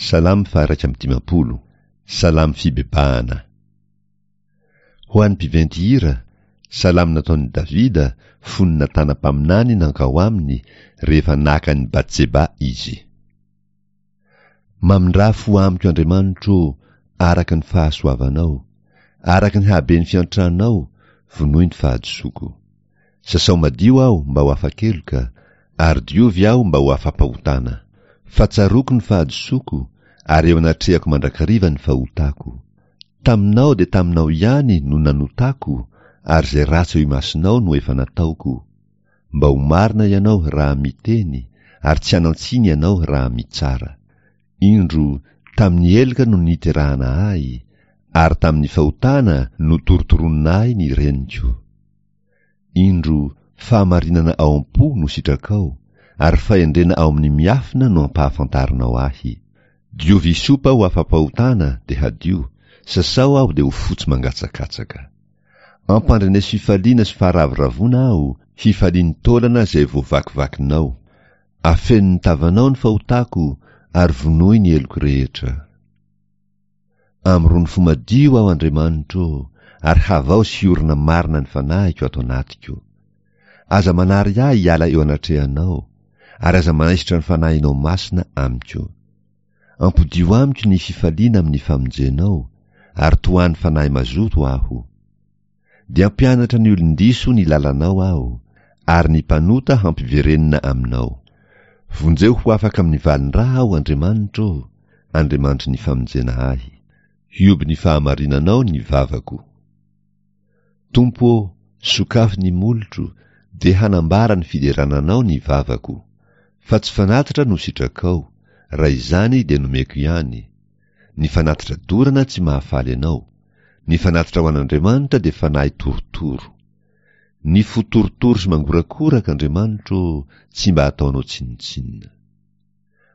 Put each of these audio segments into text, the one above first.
Salamo faha-51, Salamo fibebahana. Ho an'ny mpiventy hira, Salamo nataon'i Davida fony Natana mpaminany nankao aminy rehefa naka an'i Batseba izy. Mamindrà fo amiko Andriamanitro ô, araka ny fahasoavanao, araka ny haben'ny fiantranao, vonoy ny fahadisoako. Sasao madio aho mba ho afa-keloka, ary diovy aho mba ho afa-pahotana. Fa tsaroako ny fahadisoako, ary eo anatrehako mandrakariva ny fahotako. Taminao dia taminao ihany no nanotako, ary izay ratsy eo imasonao no efa nataoko. Mba ho marina ianao raha miteny, ary tsy hanan-tsiny ianao raha mitsara. Indro, tamin'ny heloka no niterahana ahy, ary tamin'ny fahotana no torotoronina ahy ny reniko. Indro, fahamarinana ao am-po no sitrakao, ary fahendrena ao amin'ny miafina no ampahafantarinao ahy. Diovy hisopa ho afa-pahotana dia hadio, sasao aho dia ho fotsy mangatsakatsaka. Ampandreneso fifaliana sy faharavoravoana aho, hifalian'ny taolana izay voavakivakinao. Afeno ny tavanao ny fahotako ary vonoy ny heloko rehetra. Amorony fo madio aho Andriamanitro ô, ary havao sy hiorina marina ny fanahiko ato anatiko. Aza manary ahy hiala eo anatrehanao, ary aza manaisotra ny fanahinao masina amiko. Ampodio amiko ny fifaliana amin'ny famonjenao, ary tohano fanahy mazoto aho. Dia hampianatra ny olon-diso ny lalanao aho, ary ny mpanota hampiverenina aminao. Vonjeo ho afaka amin'ny valin-dra aho, Andriamanitro ô, Andriamanitry ny famonjena ahy. Hioby ny fahamarinanao ny vavako. Tompo ô, sokafy ny molotro, dia hanambara ny fiderana Anao ny vavako. Fa tsy fanatitra no sitrakao, raha izany dia nomeko ihany. Ny fanatitra dorana tsy mahafaly Anao. Ny fanatitra ho an'Andriamanitra dia fanahy torotoro. Ny fo torotoro sy mangorakoraka, Andriamanitro ô, tsy mba ataonao tsinontsinona.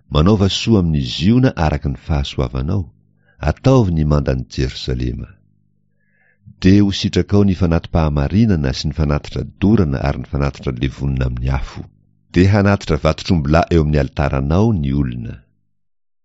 Manaova soa amin'i Ziona araka ny fahasoavanao, ataovy ny mandan'i Jerosalema. Dia ho sitrakao ny fanati-pahamarinana sy ny fanatitra dorana ary ny fanatitra levonina amin'ny afo. Dia hanatitra vatotr'ombilahy eo amin'ny alitaranao ny olona.